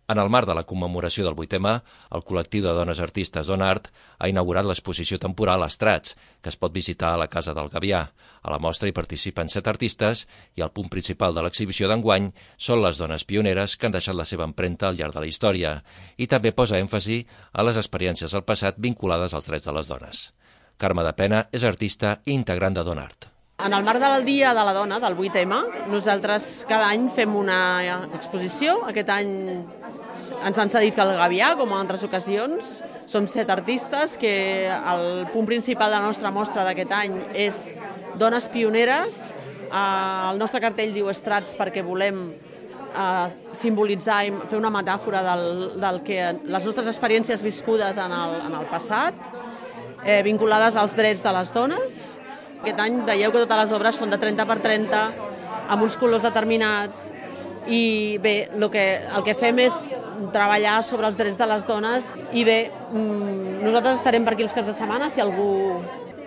En el marc de la commemoració del 8M, el col·lectiu de dones artistes Donart ha inaugurat l'exposició temporal Estrats, que es pot visitar a la Casa del Gavià. A la mostra hi participen 7 artistes i el punt principal de l'exhibició d'enguany són les dones pioneres que han deixat la seva empremta al llarg de la història i també posa èmfasi a les experiències del passat vinculades als drets de les dones. Carme de Pena és artista i integrant de Donart. En el marc del Dia de la Dona, del 8M, nosaltres cada any fem una exposició. Aquest any ens han cedit que el Gavià, com en altres ocasions. Som 7 artistes que el punt principal de la nostra mostra d'aquest any és dones pioneres. El nostre cartell diu Estrats perquè volem simbolitzar i fer una metàfora del que les nostres experiències viscudes en el passat, vinculades als drets de les dones. Aquest any veieu que totes les obres són de 30 per 30, amb uns colors determinats, i bé, el que fem és treballar sobre els drets de les dones i bé, nosaltres estarem per aquí els caps de setmana, si algú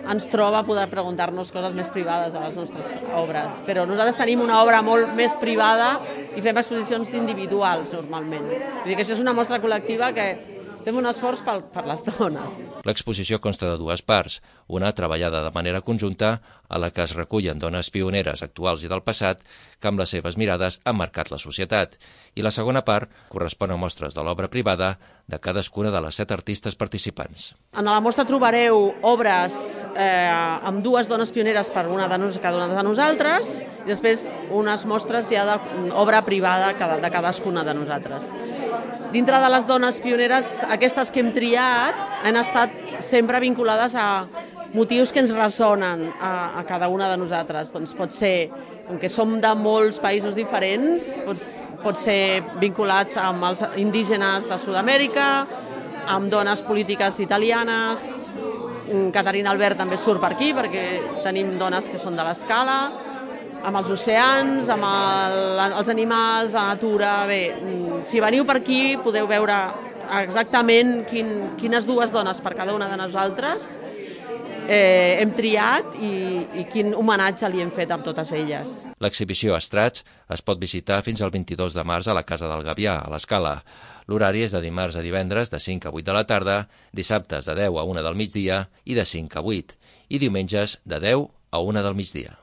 ens troba poder preguntar-nos coses més privades de les nostres obres, però nosaltres tenim una obra molt més privada i fem exposicions individuals normalment. Vull dir que això és una mostra col·lectiva que fem un esforç per les dones. L'exposició consta de 2 parts, una treballada de manera conjunta a la que es recullen dones pioneres actuals i del passat que amb les seves mirades han marcat la societat, i la segona part correspon a mostres de l'obra privada de cadascuna de les 7 artistes participants. En la mostra trobareu obres amb 2 dones pioneres per cada una de nosaltres i després unes mostres ja d'obra privada de cadascuna de nosaltres. Dintre de les dones pioneres, aquestes que hem triat han estat sempre vinculades a motius que ens ressonen a cada una de nosaltres. Doncs pot ser, com que som de molts països diferents, pot ser vinculats amb els indígenes de Sud-amèrica, amb dones polítiques italianes. Caterina Albert també surt per aquí perquè tenim dones que són de l'Escala, amb els oceans, amb els animals, la natura. Bé, si veniu per aquí podeu veure exactament quines 2 dones per cada una de nosaltres hem triat i quin homenatge li hem fet amb totes elles. L'exhibició Estrats es pot visitar fins al 22 de març a la Casa del Gavià, a l'Escala. L'horari és de dimarts a divendres de 5 a 8 de la tarda, dissabtes de 10 a 1 del migdia i de 5 a 8, i diumenges de 10 a 1 del migdia.